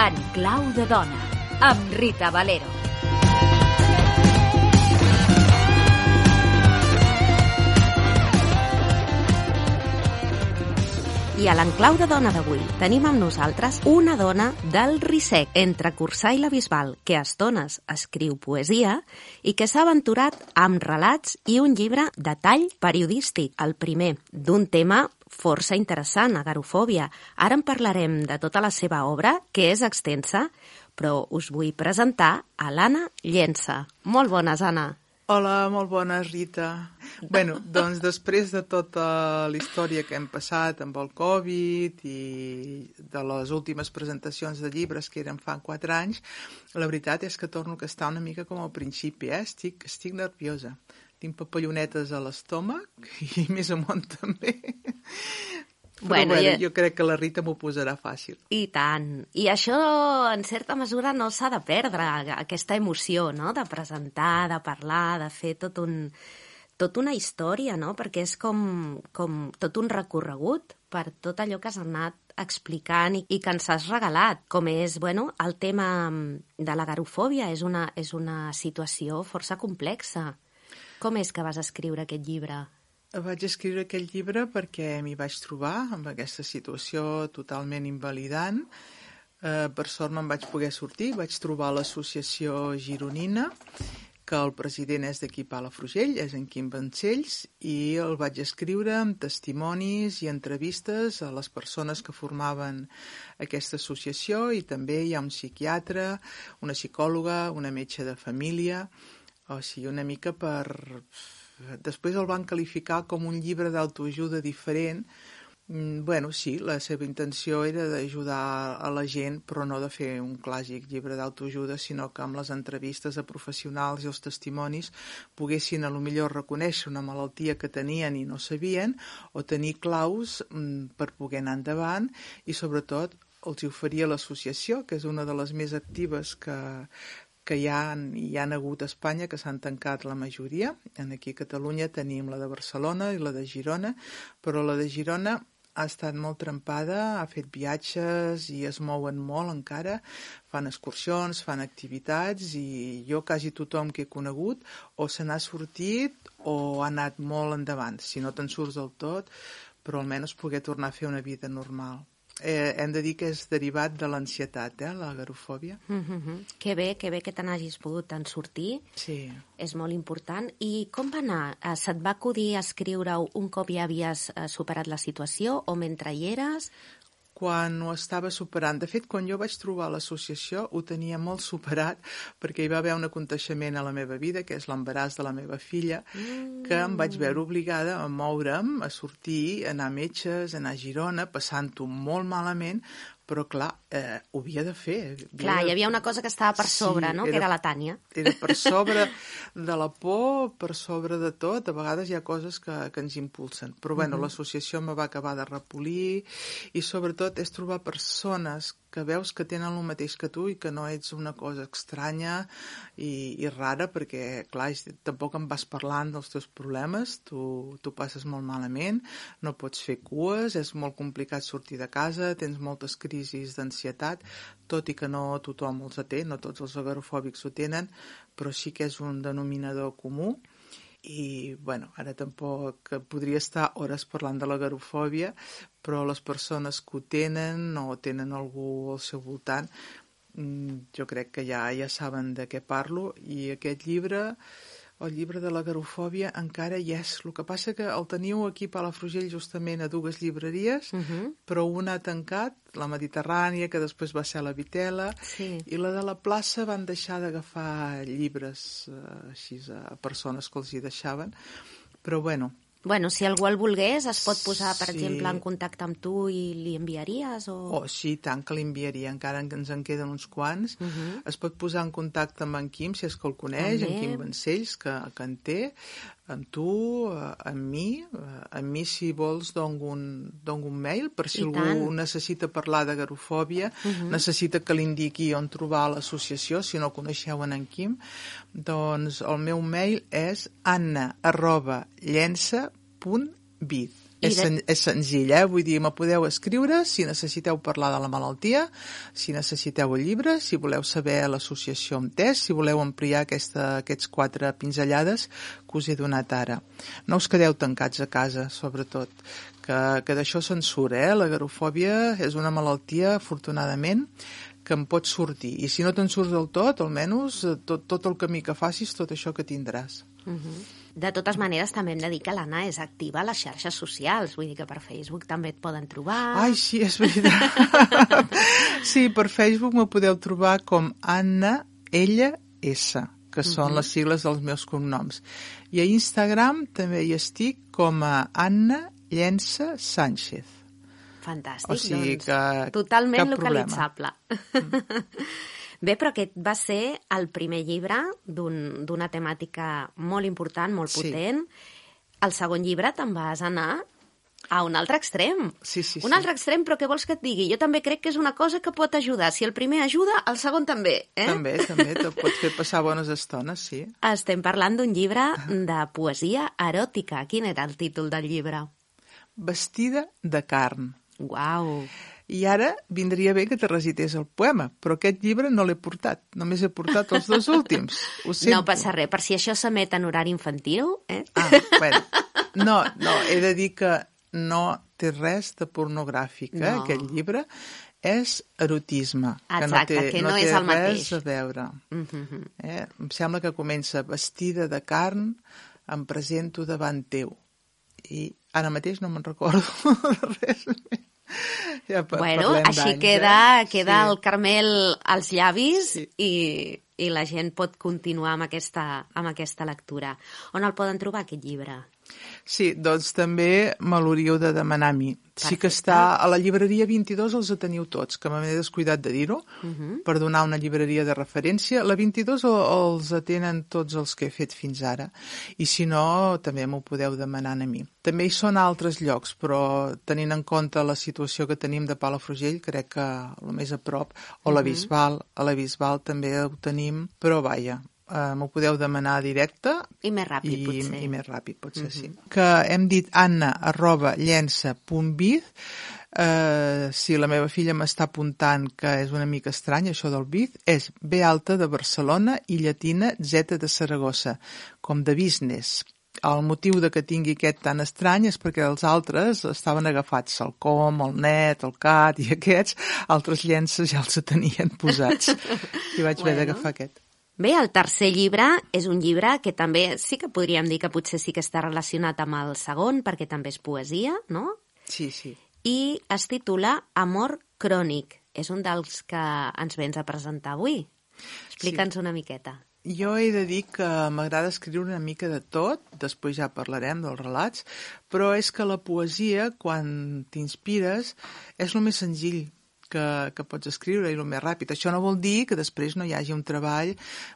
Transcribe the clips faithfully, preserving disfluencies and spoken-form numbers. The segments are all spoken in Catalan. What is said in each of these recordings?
En clau de dona, amb Rita Valero. I a l'enclau de dona d'avui tenim amb nosaltres una dona del Risec, entre Corçà i la Bisbal, que a estones escriu poesia i que s'ha aventurat amb relats i un llibre de tall periodístic, el primer, d'un tema força interessant, agarofòbia. Ara en parlarem de tota la seva obra, que és extensa, però us vull presentar a l'Anna Llença. Molt bones, Anna. Hola, molt bona, Rita. Bueno, doncs després de tota la història que hem passat amb el Covid i de les últimes presentacions de llibres que eren fa quatre anys, la veritat és que torno a estar una mica com al principi, eh? Estic, estic nerviosa. Tinc papallonetes a l'estómac i més amunt també. Però bueno, bueno, jo crec que la Rita m'ho posarà fàcil. I tant. I això, en certa mesura, no s'ha de perdre, aquesta emoció, no?, de presentar, de parlar, de fer tot un, tot una història, no?, perquè és com, com tot un recorregut per tot allò que has anat explicant i, i que ens has regalat, com és, bueno, el tema de l'agarofòbia. És una, és una situació força complexa. Com és que vas escriure aquest llibre? Vaig escriure aquest llibre perquè m'hi vaig trobar amb aquesta situació totalment invalidant. Eh, per sort me'n vaig poder sortir, vaig trobar l'associació gironina, que el president és d'aquí Palafrugell, és en Quim Vancells, i el vaig escriure amb testimonis i entrevistes a les persones que formaven aquesta associació, i també hi ha un psiquiatre, una psicòloga, una metge de família, o sigui, una mica per... Després el van qualificar com un llibre d'autoajuda diferent. Bueno, sí, la seva intenció era d'ajudar a la gent, però no de fer un clàssic llibre d'autoajuda, sinó que amb les entrevistes a professionals i els testimonis poguessin a lo millor reconèixer una malaltia que tenien i no sabien, o tenir claus per poder anar endavant, i sobretot els oferia l'associació, que és una de les més actives que... que hi ha, hi ha hagut a Espanya, que s'han tancat la majoria. Aquí a Catalunya tenim la de Barcelona i la de Girona, però la de Girona ha estat molt trempada, ha fet viatges i es mouen molt encara, fan excursions, fan activitats, i jo quasi tothom que he conegut o se n'ha sortit o ha anat molt endavant. Si no te'n surts del tot, però almenys poder tornar a fer una vida normal. Eh, hem de dir que és derivat de l'ansietat, eh, l'agarofòbia. Mm-hmm. Que bé, que bé que te n'hagis pogut en sortir. Sí. És molt important. I com va anar? Eh, se't va acudir a escriure-ho un cop ja havies eh, superat la situació, o mentre hi eres? Quan ho estava superant. De fet, quan jo vaig trobar l'associació ho tenia molt superat, perquè hi va haver un aconteixement a la meva vida, que és l'embaràs de la meva filla, mm. que em vaig veure obligada a moure'm, a sortir, a anar a metges, a anar a Girona, passant-ho molt malament, però clar, eh, ho havia de fer. Havia clar, de... hi havia una cosa que estava per sobre, sí, no? Era, que era la Tània. Era per sobre de la por, per sobre de tot. A vegades hi ha coses que, que ens impulsen. Però bueno, uh-huh. l'associació me va acabar de repolir, i sobretot és trobar persones que veus que tenen el mateix que tu i que no ets una cosa estranya i, i rara, perquè, clar, tampoc em vas parlant dels teus problemes, tu, tu passes molt malament, no pots fer cues, és molt complicat sortir de casa, tens moltes crisis d'ansietat, tot i que no tothom els té, no tots els agarofòbics ho tenen, però sí que és un denominador comú. I, bueno, ara tampoc podria estar hores parlant de l'agarofòbia, però les persones que ho tenen o tenen algú al seu voltant, jo crec que ja, ja saben de què parlo, i aquest llibre, el llibre de l'agarofòbia, encara hi és. El que passa que el teniu aquí a Palafrugell justament a dues llibreries, uh-huh. però una ha tancat, la Mediterrània, que després va ser la Vitela, sí. i la de la plaça van deixar d'agafar llibres eh, així a persones que els hi deixaven, però bueno... Bueno, si algú el volgués, es pot posar, per sí. exemple, en contacte amb tu i li enviaries? O... Oh, sí, tant que l'enviaria, encara que ens en queden uns quants. Uh-huh. Es pot posar en contacte amb en Quim, si és que el coneix, també. En Quim Vancells, que, que en té. amb tu, amb mi. Amb mi, si vols, dono un, dono un mail per si I algú tant. necessita parlar d'agorafòbia, uh-huh. necessita que li indiqui on trobar l'associació, si no coneixeu en Quim. Doncs el meu mail és anna arroba llença punt biz. És, sen, és senzill, eh? Vull dir, me podeu escriure si necessiteu parlar de la malaltia, si necessiteu el llibre, si voleu saber l'associació amb test, si voleu ampliar aquesta, aquests quatre pinzellades que us he donat ara. No us quedeu tancats a casa, sobretot, que, que d'això se'n surt, eh? L'agarofòbia és una malaltia, afortunadament, que en pots sortir. I si no te'n surts del tot, almenys tot, tot el camí que facis, tot això que tindràs. Uh-huh. De totes maneres, també hem de dir que l'Anna és activa a les xarxes socials, vull dir que per Facebook també et poden trobar. Ai, sí, és veritat. Sí, per Facebook me podeu trobar com Anna L S, que són uh-huh. les sigles dels meus cognoms. I a Instagram també hi estic com a Anna Llença Sánchez. Fantàstic, o sigui doncs, que totalment localitzable. Mm. Bé, però aquest va ser el primer llibre d'un, d'una temàtica molt important, molt potent. Sí. El segon llibre te'n vas anar a un altre extrem. Sí, sí, sí. Un altre extrem, però què vols que et digui? Jo també crec que és una cosa que pot ajudar. Si el primer ajuda, el segon també. Eh? També, també, te pot fer passar bones estones, sí. Estem parlant d'un llibre de poesia eròtica. Quin era el títol del llibre? Vestida de carn. Uau! I ara vindria bé que te recités el poema, però aquest llibre no l'he portat, només he portat els dos últims. Ho sento. No passa res, per si això s'emet en horari infantil, eh? Ah, bueno. No, no, he de dir que no té res de pornogràfic, eh? No. Aquest llibre és erotisme. Exacte, que no té, que no, no té és el mateix. res a veure. Uh-huh. Eh? Em sembla que comença vestida de carn, em presento davant teu. I ara mateix no me'n recordo de res més. Ja bueno, així d'anys, queda, eh? queda sí. el Carmel als llavis sí. i, i la gent pot continuar amb aquesta, amb aquesta lectura. On el poden trobar, aquest llibre? Sí, doncs també me l'hauríeu de demanar a mi. Perfecte. Sí que està a la llibreria vint-i-dos, els teniu tots, que m'he descuidat de dir-ho, uh-huh. per donar una llibreria de referència. La vint-i-dos els atenen tots els que he fet fins ara, i si no, també m'ho podeu demanar a mi. També hi són altres llocs, però tenint en compte la situació que tenim de Palafrugell, crec que el més a prop, o uh-huh. la Bisbal, a la Bisbal també ho tenim, però vaja, Uh, m'ho podeu demanar directe i més ràpid, i, potser. I més ràpid, potser, uh-huh. sí. Que hem dit anna arroba llença punt biz. Uh, si la meva filla m'està apuntant que és una mica estrany, això del biz, és B alta de Barcelona i llatina Z de Saragossa, com de business. El motiu de que tingui aquest tan estrany és perquè els altres estaven agafats, el com, el net, el cat, i aquests, altres llences ja els tenien posats. I vaig haver bueno. d'agafar aquest. Bé, el tercer llibre és un llibre que també sí que podríem dir que potser sí que està relacionat amb el segon, perquè també és poesia, no? Sí, sí. I es titula Amor crònic. És un dels que ens vens a presentar avui. Explica'ns sí. una miqueta. Jo he de dir que m'agrada escriure una mica de tot, després ja parlarem dels relats, però és que la poesia, quan t'inspires, és el més senzill que, que pots escriure i el més ràpid. Això no vol dir que després no hi hagi un treball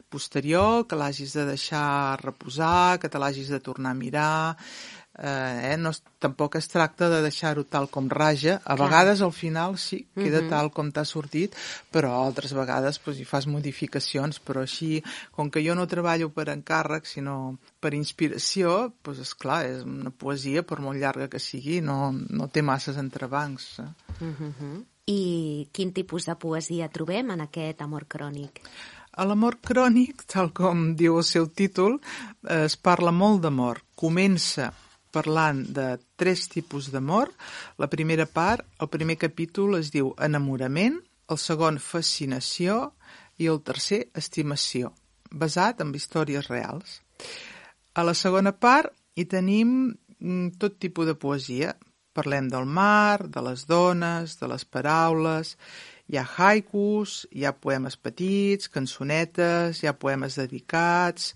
posterior, que l'hagis de deixar reposar, que te l'hagis de tornar a mirar. Eh, no, tampoc es tracta de deixar-ho tal com raja. A Clar. vegades al final sí, queda uh-huh. tal com t'ha sortit, però altres vegades pues, hi fas modificacions. Però així, com que jo no treballo per encàrrec, sinó per inspiració, pues, esclar, és una poesia, per molt llarga que sigui, no, no té masses entrebancs. Eh? Uh-huh. I quin tipus de poesia trobem en aquest amor crònic? A l'amor crònic, tal com diu el seu títol, es parla molt d'amor. Comença parlant de tres tipus d'amor. La primera part, el primer capítol es diu enamorament, el segon fascinació i el tercer estimació, basat en històries reals. A la segona part hi tenim tot tipus de poesia. Parlem del mar, de les dones, de les paraules, hi ha haikus, hi ha poemes petits, cançonetes, hi ha poemes dedicats,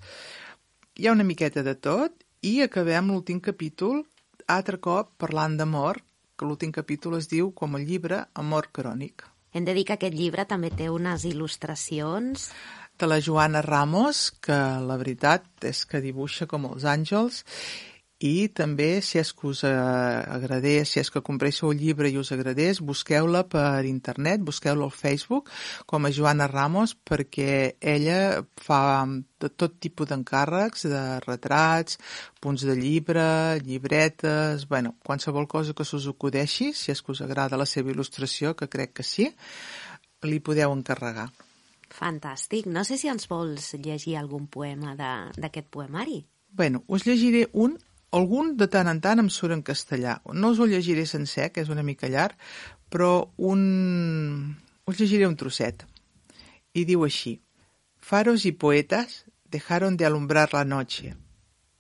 hi ha una miqueta de tot, i acabem l'últim capítol, altre cop, parlant d'amor, que l'últim capítol es diu, com el llibre, Amor crònic. Hem de dir que aquest llibre també té unes il·lustracions... de la Joana Ramos, que la veritat és que dibuixa com els àngels, i també, si és que us agradés, si és que compréssiu el llibre i us agradés, busqueu-la per internet, busqueu-la al Facebook com a Joana Ramos, perquè ella fa de tot tipus d'encàrrecs, de retrats, punts de llibre, llibretes, bueno, qualsevol cosa que s'us acudeixi, si és que us agrada la seva il·lustració, que crec que sí, li podeu encarregar. Fantàstic. No sé si ens vols llegir algun poema d'aquest poemari. Bueno, us llegiré un. Algun de tant en tant em surt en castellà. No us ho llegiré sencer, que és una mica llarg, però un... us llegiré un trosset. Y digo así: faros y poetas dejaron de alumbrar la noche.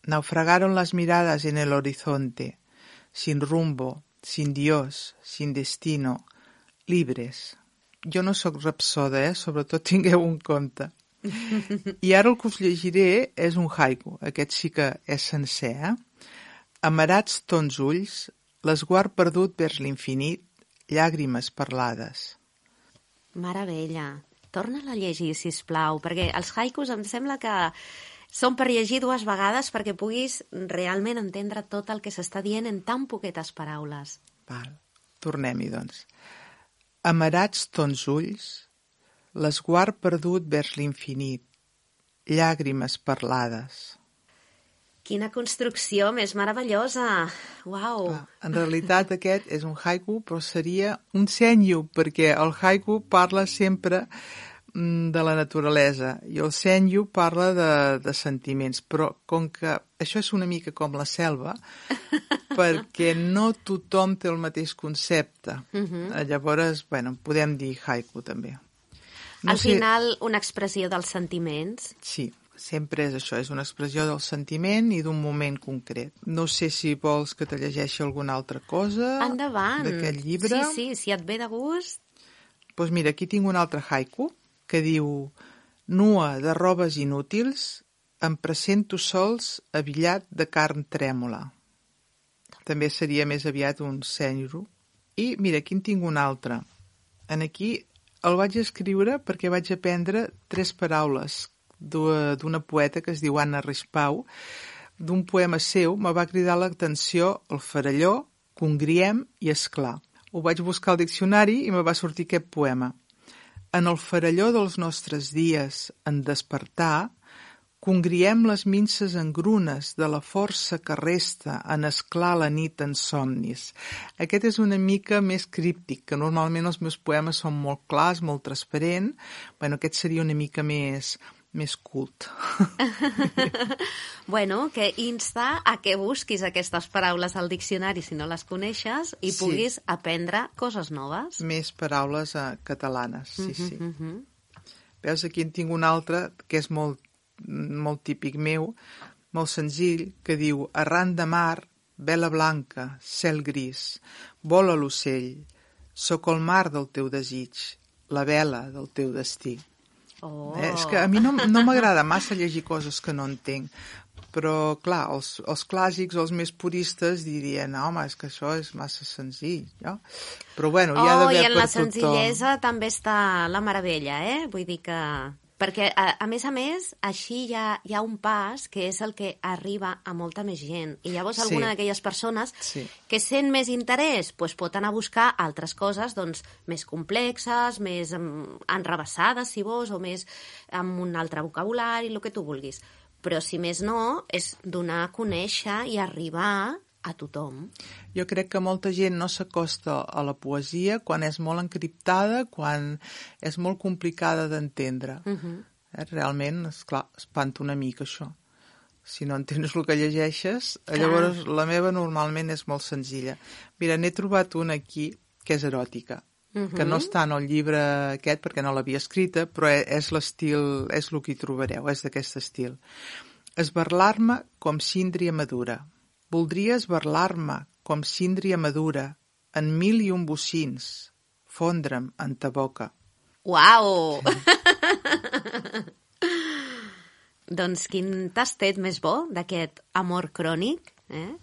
Naufragaron las miradas en el horizonte, sin rumbo, sin Dios, sin destino, libres. Jo no sóc rapsoda, eh? Sobretot tingueu en compte. I ara el que us llegiré és un haiku. Aquest sí que és sencer, eh? Amarats tons ulls, l'esguard perdut vers l'infinit, llàgrimes parlades. Meravella. Torna-la a llegir, sisplau, perquè els haikus em sembla que són per llegir dues vegades perquè puguis realment entendre tot el que s'està dient en tan poquetes paraules. Val. Tornem-hi, doncs. Amarats tons ulls, l'esguard perdut vers l'infinit, llàgrimes parlades. Quina construcció més meravellosa! Uau! Ah, en realitat aquest és un haiku, però seria un senyu, perquè el haiku parla sempre de la naturalesa i el senyu parla de, de sentiments, però com que això és una mica com la selva, perquè no tothom té el mateix concepte. Uh-huh. Llavors, bueno, podem dir haiku també. No Al sé... final, una expressió dels sentiments. Sí. Sempre és això, és una expressió del sentiment i d'un moment concret. No sé si vols que te llegeixi alguna altra cosa Endavant. D'aquest llibre. Sí, sí, si et ve de gust. Doncs pues mira, aquí tinc un altre haiku que diu: nua de robes inútils, em presento sols abillat de carn trèmola. També seria més aviat un senyu. I mira, aquí en tinc un altre. En aquí el vaig escriure perquè vaig aprendre tres paraules d'una poeta que es diu Anna Rispau. D'un poema seu me va cridar l'atenció el faralló, congriem i esclar. Ho vaig buscar al diccionari i me va sortir aquest poema. En el faralló dels nostres dies, en despertar, congriem les minces engrunes de la força que resta en esclar la nit en somnis. Aquest és una mica més críptic, que normalment els meus poemes són molt clars, molt transparents. Bueno, aquest seria una mica més... més cult. Bueno, que insta a que busquis aquestes paraules al diccionari si no les coneixes i sí. puguis aprendre coses noves. Més paraules uh, catalanes, sí, sí. Uh -huh. Veus, aquí en tinc un altre que és molt, molt típic meu, molt senzill, que diu: arran de mar, vela blanca, cel gris, vola l'ocell, sóc el mar del teu desig, la vela del teu destí. Oh. Eh, és que a mi no, no m'agrada massa llegir coses que no entenc, però clar, els, els clàssics, els més puristes dirien: no, home, és que això és massa senzill, no? Però bueno, hi ha oh, d'haver per tothom. I en la senzillesa també està la meravella, eh? Vull dir que... Perquè, a, a més a més, així hi ha, hi ha un pas que és el que arriba a molta més gent. I llavors sí. alguna d'aquelles persones sí. que sent més interès doncs pot anar a buscar altres coses doncs, més complexes, més um, enrebaçades, si vols, o més amb un altre vocabulari, el que tu vulguis. Però, si més no, és donar a conèixer i arribar a tothom. Jo crec que molta gent no s'acosta a la poesia quan és molt encriptada, quan és molt complicada d'entendre. Uh-huh. eh, realment, esclar, espanta una mica això. Si no entens el que llegeixes, clar. Llavors la meva normalment és molt senzilla. Mira, n'he trobat una aquí que és eròtica, uh-huh. que no està en el llibre aquest perquè no l'havia escrita, però és l'estil, és el que hi trobareu, és d'aquest estil. Esberlar-me com síndria madura. Voldria esberlar-me com síndria madura en mil i un bocins, fondre'm en ta boca. Uau! Doncs quin tastet més bo d'aquest amor crònic, eh?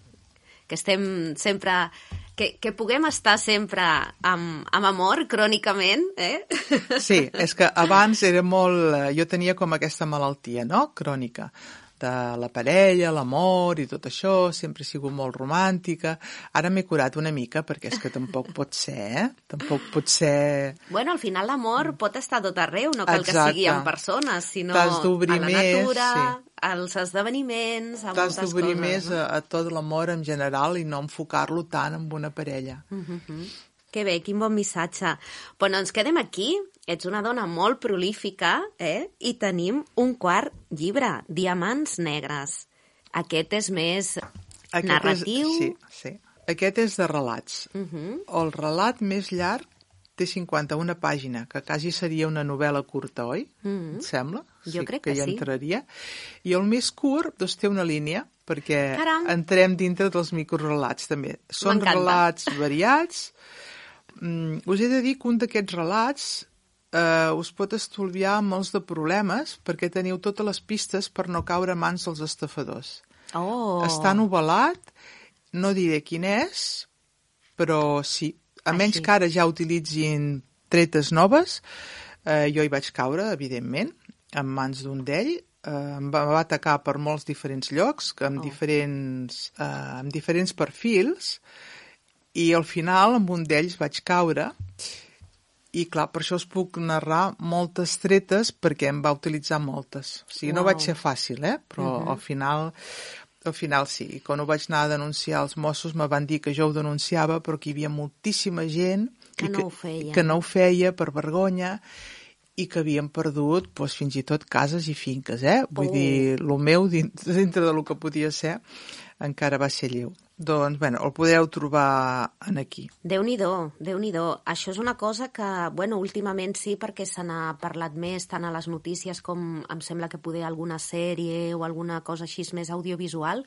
Que estem sempre Que, que puguem estar sempre amb, amb amor, crònicament, eh? Sí, és que abans era molt... Jo tenia com aquesta malaltia, no?, crònica, de la parella, l'amor i tot això, sempre he sigut molt romàntica. Ara m'he curat una mica, perquè és que tampoc pot ser, eh? Tampoc pot ser... Bueno, al final l'amor pot estar tot arreu, no cal Exacte. que sigui en persones, sinó T'has d'obrir a la més, natura, sí. als esdeveniments, a T'has moltes d'obrir coses. més a, a tot l'amor en general i no enfocar-lo tant en una parella. Mm-hmm. Que bé, quin bon missatge. Però no ens quedem aquí. Ets una dona molt prolífica, eh? I tenim un quart llibre, Diamants negres. Aquest és més Aquest narratiu. És, sí, sí. Aquest és de relats. Uh-huh. El relat més llarg té cinquanta-una pàgines, que quasi seria una novel·la curta, oi? Uh-huh. Et sembla? Jo sí, crec que, que ja sí. entraria. I el més curt, doncs, té una línia, perquè Caram. entrem dintre dels microrelats, també. Són M'encanta. relats variats. Mm, us he de dir que un d'aquests relats eh, us pot estolviar molts de problemes, perquè teniu totes les pistes per no caure a mans dels estafadors. Oh. Està novel·lat, no diré quin és, però sí. A Així. menys que ara ja utilitzin tretes noves, eh, jo hi vaig caure, evidentment, en mans d'un d'ell. Eh, em va, va atacar per molts diferents llocs, que amb, Oh. diferents, eh, amb diferents perfils, i al final amb un d'ells vaig caure. I clar, per això us puc narrar moltes tretes, perquè em va utilitzar moltes. O sigui, no Uau. vaig ser fàcil, eh? Però Uh-huh. al final... Al final sí, i quan ho vaig anar a denunciar als Mossos me van dir que jo ho denunciava, però que hi havia moltíssima gent Que i no ho feia. que no ho feia per vergonya i que havien perdut doncs, fins i tot cases i finques, eh? Vull Oh. dir, el meu, dintre, dintre del que podia ser, encara va ser lleu. Doncs, bueno, el podeu trobar en aquí. Déu-n'hi-do, Déu-n'hi-do. Això és una cosa que, bueno, últimament sí, perquè se n'ha parlat més tant a les notícies com em sembla que poder alguna sèrie o alguna cosa així més audiovisual,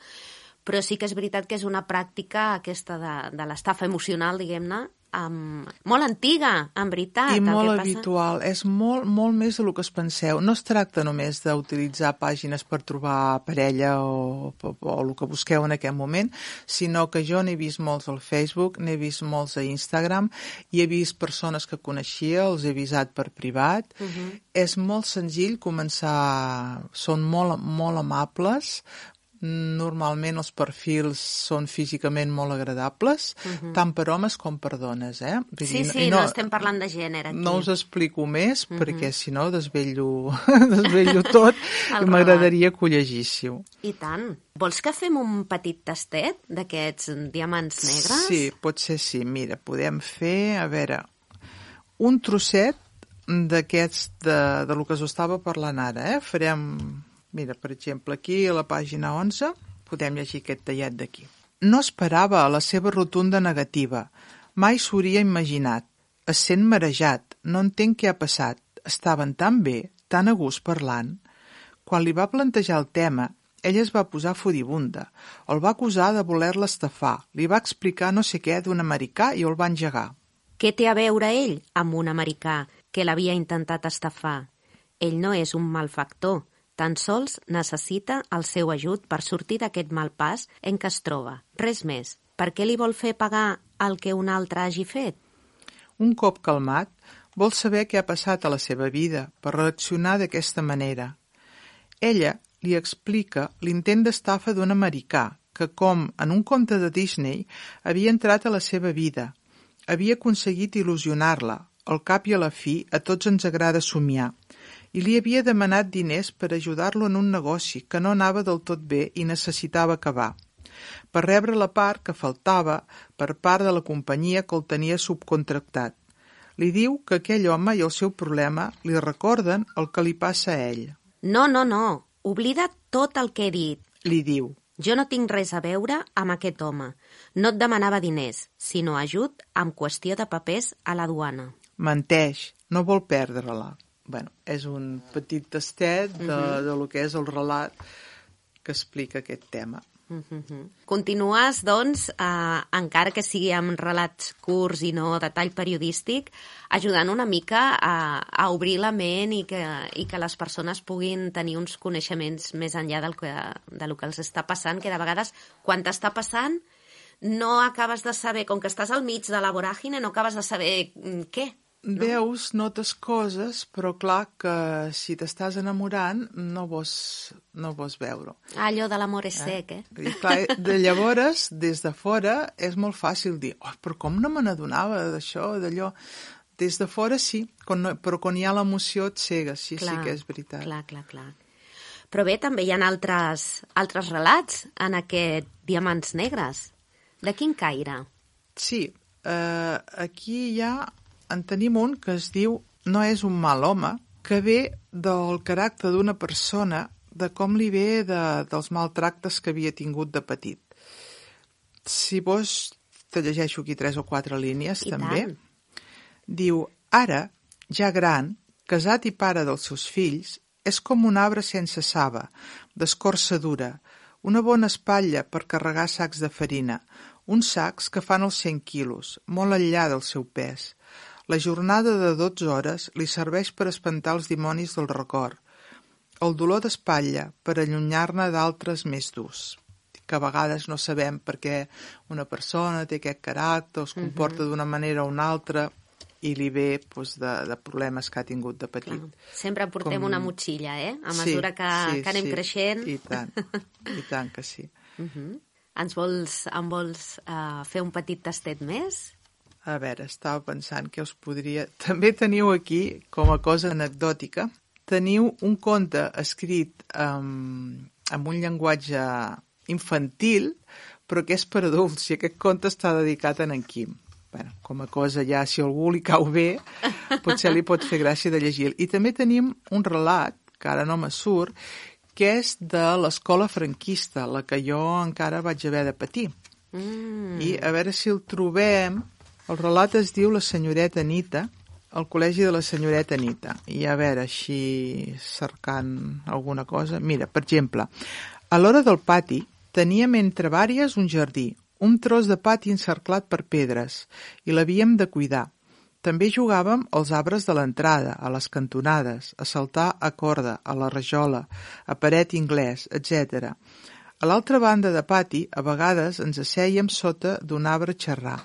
però sí que és veritat que és una pràctica aquesta de, de l'estafa emocional, diguem-ne, um, molt antiga, en veritat. I el molt que passa... habitual. És molt, molt més del que es penseu. No es tracta només d'utilitzar pàgines per trobar parella o, o, o el que busqueu en aquest moment, sinó que jo n'he vist molts al Facebook, n'he vist molts a Instagram, i he vist persones que coneixia, els he avisat per privat. Uh-huh. És molt senzill començar... Són molt, molt amables. Normalment els perfils són físicament molt agradables, uh-huh. tant per homes com per dones, eh? Vull Sí, dir, sí, i no, no estem parlant de gènere aquí. No us explico més, Uh-huh. perquè si no desvello, desvello tot El i m'agradaria que ho llegíssiu. I tant. Vols que fem un petit tastet d'aquests diamants negres? Sí, potser sí. Mira, podem fer, a veure, un trosset d'aquests, de, de lo que us estava parlant ara, eh? Farem... Mira, per exemple, aquí a la pàgina onze podem llegir aquest tallet d'aquí. No esperava a la seva rotunda negativa. Mai s'ho hauria imaginat. Es sent marejat. No entenc què ha passat. Estaven tan bé, tan a gust parlant. Quan li va plantejar el tema, ella es va posar furibunda. El va acusar de voler-la estafar. Li va explicar no sé què d'un americà i el va engegar. Què té a veure ell amb un americà que l'havia intentat estafar? Ell no és un malfactor. Tan sols necessita el seu ajut per sortir d'aquest mal pas en què es troba. Res més. Per què li vol fer pagar el que un altre hagi fet? Un cop calmat, vol saber què ha passat a la seva vida per reaccionar d'aquesta manera. Ella li explica l'intent d'estafa d'un americà que, com en un conte de Disney, havia entrat a la seva vida. Havia aconseguit il·lusionar-la. Al cap i a la fi, a tots ens agrada somiar. I li havia demanat diners per ajudar-lo en un negoci que no anava del tot bé i necessitava acabar, per rebre la part que faltava per part de la companyia que el tenia subcontractat. Li diu que aquell home i el seu problema li recorden el que li passa a ell. No, no, no. Oblida tot el que he dit. Li diu. Jo no tinc res a veure amb aquest home. No et demanava diners, sinó ajut amb qüestió de papers a la duana. Menteix, no vol perdre-la. Bueno, és un petit tastet de, uh-huh. de lo que és el relat que explica aquest tema. Uh-huh. Continues, doncs, eh, encara que sigui amb relats curts i no de tall periodístic, ajudant una mica a, a obrir la ment i que, i que les persones puguin tenir uns coneixements més enllà del que, de lo que els està passant, que de vegades, quan t'està passant, no acabes de saber, com que estàs al mig de la voràgine, no acabes de saber mm, què. No? Veus, notes coses, però clar que si t'estàs enamorant no vols, no vols veure. Ah, allò de l'amor és sec, eh? I clar, de llavors, des de fora, és molt fàcil dir, oh, però com no me n'adonava d'això, d'allò... Des de fora sí, quan no, però quan hi ha l'emoció et cega, sí, clar, sí que és veritat. Clar, clar, clar. Però bé, també hi ha altres, altres relats en aquest Diamants Negres. De quin caire? Sí, eh, aquí ja en tenim un que es diu No és un mal home, que ve del caràcter d'una persona, de com li ve de, dels maltractes que havia tingut de petit. Si vols, te llegeixo aquí tres o quatre línies, I també. tant. Diu, ara, ja gran, casat i pare dels seus fills, és com un arbre sense saba, d'escorça dura, una bona espatlla per carregar sacs de farina, uns sacs que fan els cent quilos, molt enllà del seu pes. La jornada de dotze hores li serveix per espantar els dimonis del record, el dolor d'espatlla per allunyar-ne d'altres més durs, que a vegades no sabem per què una persona té aquest caràcter, es comporta uh-huh. d'una manera o una altra, i li ve doncs, de, de problemes que ha tingut de petit. Clar. Sempre portem Com... una motxilla, eh? A mesura sí, que, sí, que anem sí. creixent. I tant, i tant que sí. Uh-huh. Ens vols, em vols uh, fer un petit tastet més? A veure, estava pensant que us podria... També teniu aquí, com a cosa anecdòtica, teniu un conte escrit amb, amb un llenguatge infantil, però que és per adults, i aquest conte està dedicat a en Quim. Bueno, com a cosa ja, si algú li cau bé, potser li pot fer gràcia de llegir. I també tenim un relat, que ara no me surt, que és de l'escola franquista, la que jo encara vaig haver de patir. Mm. I a veure si el trobem. El relat es diu La senyoreta Anita, al col·legi de la senyoreta Anita. I a veure, així cercant alguna cosa... Mira, per exemple, a l'hora del pati teníem entre vàries un jardí, un tros de pati encerclat per pedres, i l'havíem de cuidar. També jugàvem als arbres de l'entrada, a les cantonades, a saltar a corda, a la rajola, a paret inglès, etcètera. A l'altra banda de pati, a vegades ens assèiem sota d'un arbre a xerrar.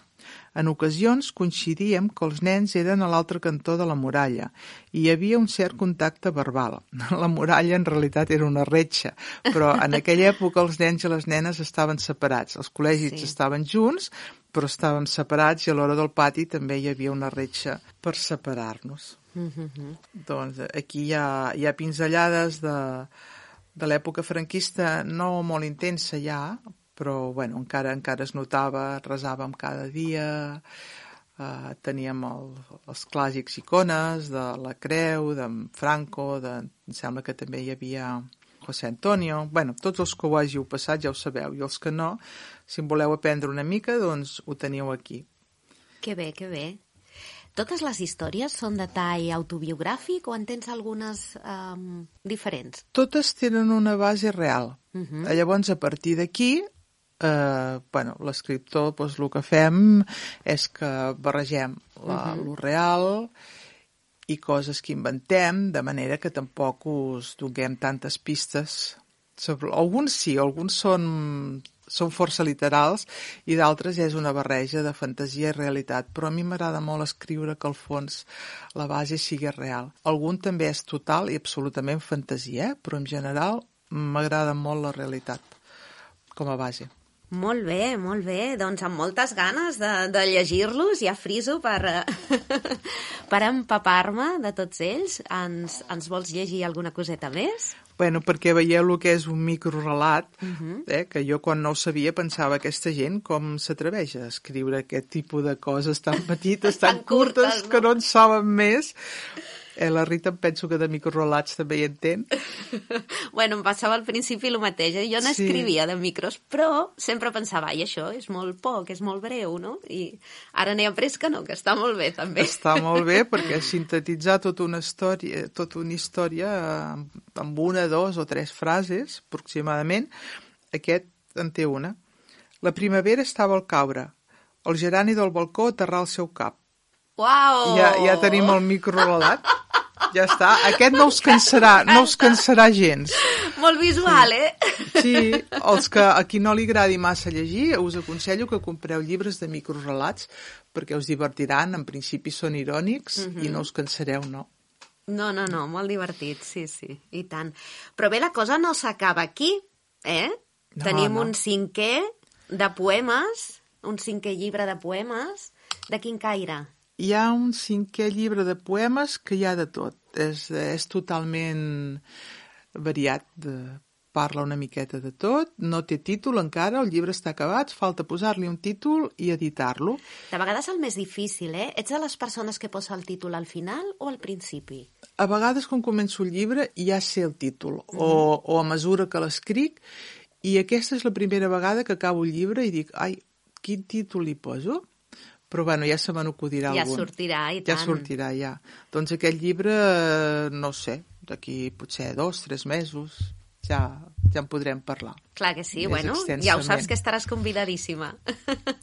En ocasions coincidíem que els nens eren a l'altre cantó de la muralla i hi havia un cert contacte verbal. La muralla en realitat era una retxa, però en aquella època els nens i les nenes estaven separats. Els col·legis sí. estaven junts, però estàvem separats i a l'hora del pati també hi havia una retxa per separar-nos. Mm-hmm. Doncs aquí hi ha, hi ha pinzellades de, de l'època franquista no molt intensa ja, però bueno, encara encara es notava, resàvem cada dia, eh, teníem el, els clàssics icones de la Creu, de Franco, de, em sembla que també hi havia José Antonio, bueno, tots els que ho hàgiu passat ja ho sabeu, i els que no, si en voleu aprendre una mica, doncs ho teniu aquí. Que bé, que bé. Totes les històries són de tall autobiogràfic o en tens algunes um, diferents? Totes tenen una base real. Uh-huh. Llavors, a partir d'aquí, Uh, bueno, l'escriptor, doncs, el que fem és que barregem la, uh-huh. lo real i coses que inventem, de manera que tampoc us donem tantes pistes sobre... Alguns sí, alguns són, són força literals i d'altres és una barreja de fantasia i realitat, però a mi m'agrada molt escriure que al fons la base sigui real. Algun també és total i absolutament fantasia, eh? Però en general m'agrada molt la realitat com a base. Molt bé, molt bé. Doncs amb moltes ganes de, de llegir-los, ja friso per, per empapar-me de tots ells. Ens, ens vols llegir alguna coseta més? Bueno, perquè veieu el que és un microrelat, uh-huh. eh, que jo quan no ho sabia pensava aquesta gent com s'atreveix a escriure aquest tipus de coses tan petites, tan, tan curtes, curtes no? Que no en saben més. Eh, la Rita em penso que de microrelats també hi entén. Bueno, em passava al principi el mateix. Jo n'escrivia sí. de micros, però sempre pensava, ai, això és molt poc, és molt breu, no? I ara n'he après que no, que està molt bé, també. Està molt bé, perquè sintetitzar tota una història, tota una història amb una, dos o tres frases, aproximadament, aquest en té una. La primavera estava al caure. El gerani del balcó aterrà al seu cap. Uau! Ja, ja tenim el microrelat. Ja està. Aquest no us cansarà, no us cansarà gens. Molt visual, sí. eh? Sí, els que a qui no li agradi massa llegir, us aconsello que compreu llibres de microrelats perquè us divertiran, en principi són irònics uh-huh. i no us cansareu, no? No, no, no, molt divertit, sí, sí, i tant. Però bé, la cosa no s'acaba aquí, eh? No, Tenim no. un cinquè de poemes, un cinquè llibre de poemes. De quin caire? Hi ha un cinquè llibre de poemes que hi ha de tot. És, és totalment variat. De, parla una miqueta de tot. No té títol encara, el llibre està acabat, falta posar-li un títol i editar-lo. De vegades el més difícil, eh? Ets de les persones que posa el títol al final o al principi? A vegades, quan començo el llibre, ja sé el títol, mm-hmm. o, o a mesura que l'escric, i aquesta és la primera vegada que acabo el llibre i dic, ai, quin títol li poso? Però, bueno, ja se me n'acudirà ja algun. Ja sortirà, i tant. Ja sortirà, ja. Doncs aquest llibre, no sé, d'aquí potser dos, tres mesos, ja, ja en podrem parlar. Clar que sí, bueno, ja ho saps que estaràs convidadíssima.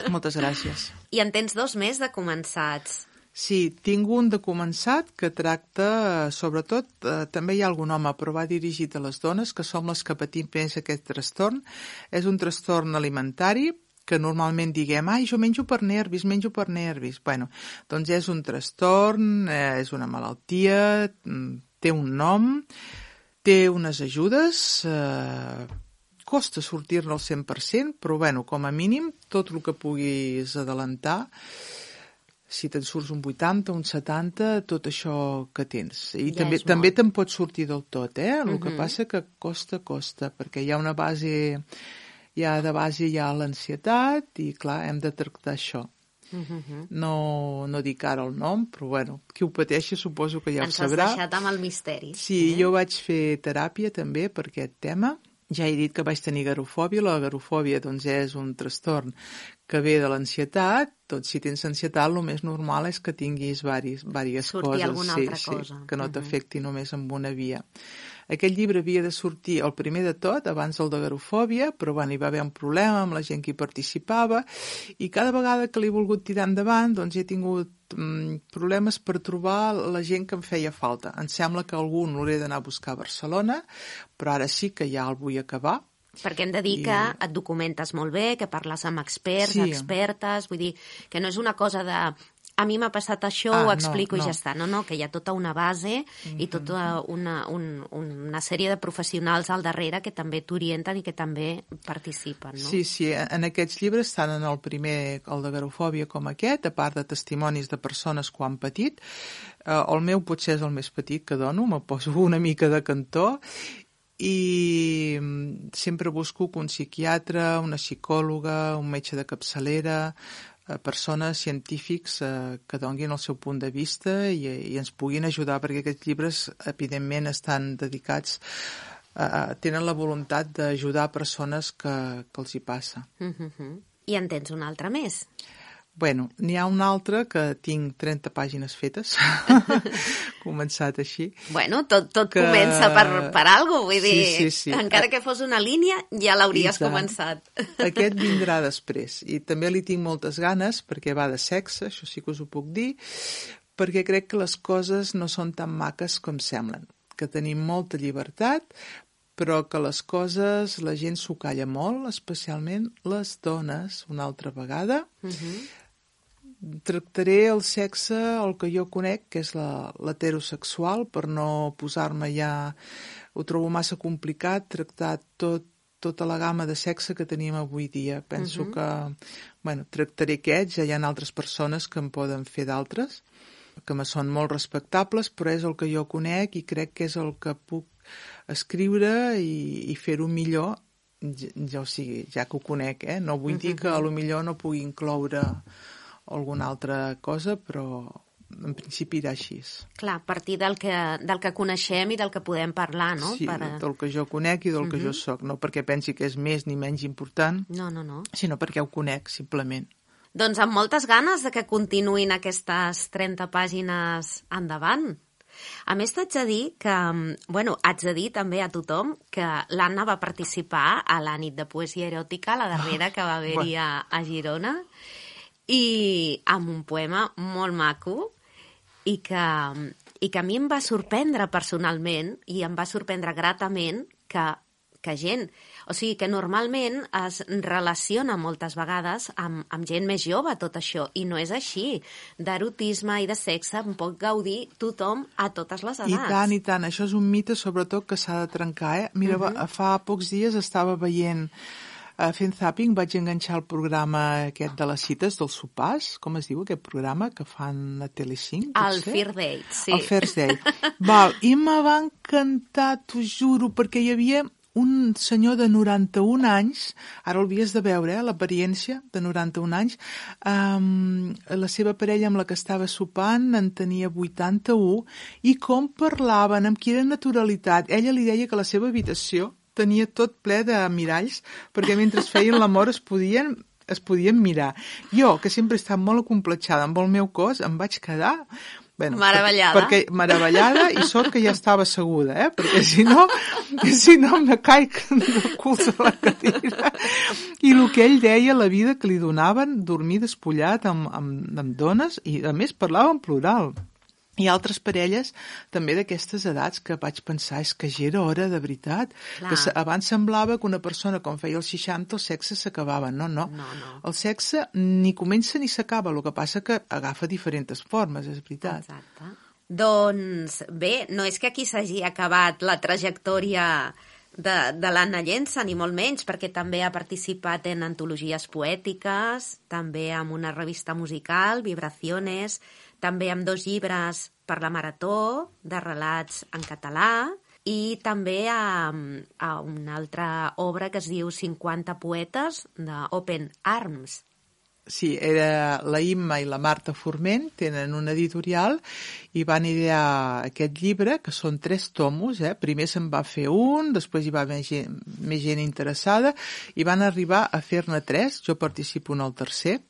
Moltes gràcies. I en tens dos més de començats. Sí, tinc un de començat que tracta, sobretot, eh, també hi ha algun home, però va dirigit a les dones, que som les que patim més aquest trastorn. És un trastorn alimentari, que normalment diguem, ai, jo menjo per nervis, menjo per nervis. Bueno, doncs és un trastorn, eh, és una malaltia, té un nom, té unes ajudes, eh, costa sortir-ne al cent per cent, però bueno, com a mínim, tot el que puguis adelantar, si te'n surts un vuitanta, un setanta, tot això que tens. I ja també, també te'n pots sortir del tot, eh? El uh-huh. que passa que costa, costa, perquè hi ha una base... Ja de base hi ha l'ansietat i, clar, hem de tractar això. Uh-huh. No, no dic ara el nom, però, bueno, qui ho pateixi suposo que ja Ens ho sabrà. Ens has deixat amb el misteri. Sí, eh? Jo vaig fer teràpia també per aquest tema. Ja he dit que vaig tenir garofòbia. La garofòbia, doncs, és un trastorn que ve de l'ansietat. Doncs, si tens ansietat, el més normal és que tinguis diverses coses. Sortir alguna sí, altra sí, cosa. Que no t'afecti uh-huh. només amb una via. Aquest llibre havia de sortir el primer de tot, abans del de garofòbia, però bueno, hi va haver un problema amb la gent que hi participava, i cada vegada que l'he volgut tirar endavant, doncs he tingut mm, problemes per trobar la gent que em feia falta. Em sembla que algun l'hauré d'anar a buscar a Barcelona, però ara sí que ja el vull acabar. Perquè hem de dir I... que et documentes molt bé, que parles amb experts, sí. expertes, vull dir que no és una cosa de... A mi m'ha passat això, ah, ho explico no, no. i ja està. No, no, que hi ha tota una base mm-hmm. i tota una, un, una sèrie de professionals al darrere que també t'orienten i que també participen, no? Sí, sí, en aquests llibres, tant en el primer, el de garofòbia com aquest, a part de testimonis de persones que ho han patit, eh, el meu potser és el més petit que dono, me poso una mica de cantó, i sempre busco un psiquiatre, una psicòloga, un metge de capçalera, persones, científics eh, que donguin el seu punt de vista i, i ens puguin ajudar, perquè aquests llibres evidentment estan dedicats a, tenen la voluntat d'ajudar persones que, que els hi passa. Uh-huh. I en tens un altre més? Bueno, n'hi ha un altre que tinc trenta pàgines fetes, començat així. Bueno, tot, tot que... comença per, per alguna cosa, vull dir, sí, sí, sí. encara que fos una línia, ja l'hauries començat. Aquest vindrà després, i també li tinc moltes ganes, perquè va de sexe, això sí que us ho puc dir, perquè crec que les coses no són tan maques com semblen, que tenim molta llibertat, però que les coses, la gent s'ho calla molt, especialment les dones, una altra vegada. Uh-huh. Tractaré el sexe, el que jo conec, que és la, l'heterosexual, per no posar-me ja... Ho trobo massa complicat, tractar tot, tota la gamma de sexe que tenim avui dia. Penso uh-huh. que, bueno, tractaré aquests, ja hi ha altres persones que en poden fer d'altres, que me són molt respectables, però és el que jo conec i crec que és el que puc escriure i, i fer-ho millor, ja, ja, o sigui, ja que ho conec, eh? No vull uh-huh. dir que a lo millor no pugui incloure alguna altra cosa, però en principi irà així. Clar, a partir del que, del que coneixem i del que podem parlar, no? Sí, per... del que jo conec i del uh-huh. que jo soc, no perquè pensi que és més ni menys important, no, no, no. sinó perquè ho conec, simplement. Doncs amb moltes ganes de que continuïn aquestes trenta pàgines endavant. A més, t'haig de dir que, bueno, haig de dir també a tothom que l'Anna va participar a la nit de poesia eròtica, la darrera que va haver-hi a, a Girona, i amb un poema molt maco i que i que a mi em va sorprendre personalment i em va sorprendre gratament que, que gent, o sigui, que normalment es relaciona moltes vegades amb, amb gent més jove tot això, i no és així. D'erotisme i de sexe en pot gaudir tothom a totes les edats. I tant, i tant. Això és un mite, sobretot, que s'ha de trencar, eh? Mira, uh-huh. fa pocs dies estava veient, uh, fent zapping, vaig enganxar el programa aquest de les cites, dels sopars, com es diu aquest programa, que fan a Telecinc? El First Date, sí. El First Date. Val, i me va encantar, t'ho juro, perquè hi havia un senyor de noranta-un anys, ara el havies de veure, eh, l'apariència de noranta-un anys, um, la seva parella amb la que estava sopant en tenia vuitanta-u, i com parlaven, amb quina naturalitat. Ella li deia que la seva habitació tenia tot ple de miralls, perquè mentre feien l'amor es podien, es podien mirar. Jo, que sempre he estat molt acomplexada amb el meu cos, em vaig quedar... Bueno, meravellada. Perquè, meravellada, i sort que ja estava asseguda, eh? Perquè si no, si no me caic de cul a la cadira. I el que ell deia, la vida que li donaven, dormir despullat amb, amb, amb dones, i a més parlava en plural. Hi ha altres parelles també d'aquestes edats que vaig pensar, és que ja era hora de veritat. Clar. Que abans semblava que una persona quan feia els seixanta el sexe s'acabava. No, no, no, no. El sexe ni comença ni s'acaba, el que passa que agafa diferents formes, és veritat. Exacte. Doncs bé, no és que aquí s'hagi acabat la trajectòria de, de l'Anna Llença, ni molt menys, perquè també ha participat en antologies poètiques, també en una revista musical, Vibraciones, també amb dos llibres per la Marató, de relats en català, i també a, a una altra obra que es diu cinquanta poetes, d'Open Arms. Sí, era la Imma i la Marta Forment, tenen una editorial i van idear aquest llibre, que són tres tomos, eh? Primer se'n va fer un, després hi va haver gent, més gent interessada, i van arribar a fer-ne tres, jo participo en el tercer,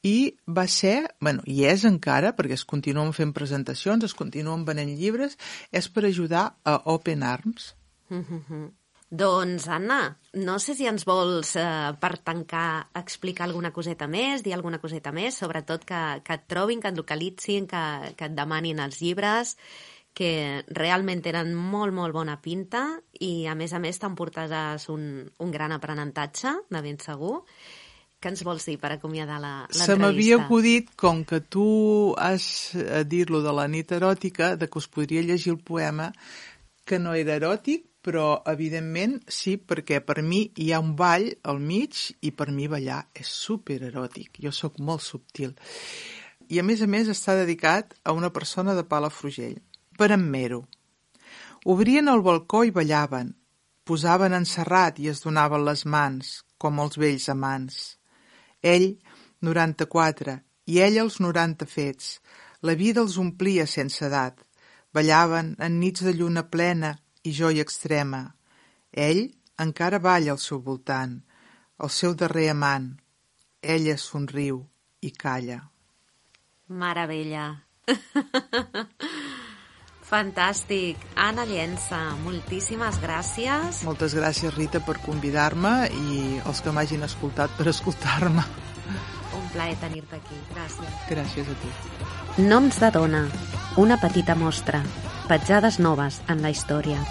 i va ser, bueno, i és encara, perquè es continuen fent presentacions, es continuen venent llibres, és per ajudar a Open Arms. Mm-hmm. Doncs, Anna, no sé si ens vols, eh, per tancar, explicar alguna coseta més, dir alguna coseta més, sobretot que, que et trobin, que et localitzin, que, que et demanin els llibres, que realment tenen molt, molt bona pinta i, a més a més, t'emportaràs un, un gran aprenentatge, de ben segur. Què ens vols dir per acomiadar l'entrevista? Se m'havia acudit, com que tu has dit-lo de la nit eròtica, de que us podria llegir el poema, que no era eròtic, però evidentment sí, perquè per mi hi ha un ball al mig i per mi ballar és supereròtic. Jo sóc molt subtil. I a més a més està dedicat a una persona de Palafrugell, per en Mero. Obrien el balcó i ballaven, posaven en serrat i es donaven les mans, com els vells amants. Ell, noranta-quatre, i ella els noranta fets. La vida els omplia sense edat. Ballaven en nits de lluna plena i joia extrema. Ell encara balla al seu voltant, el seu darrer amant. Ella somriu i calla. Meravella. Fantàstic. Anna Llença, moltíssimes gràcies. Moltes gràcies, Rita, per convidar-me i els que m'hagin escoltat per escoltar-me. Un plaer tenir-te aquí. Gràcies. Gràcies a tu. Noms de dona. Una petita mostra. Petjades noves en la història.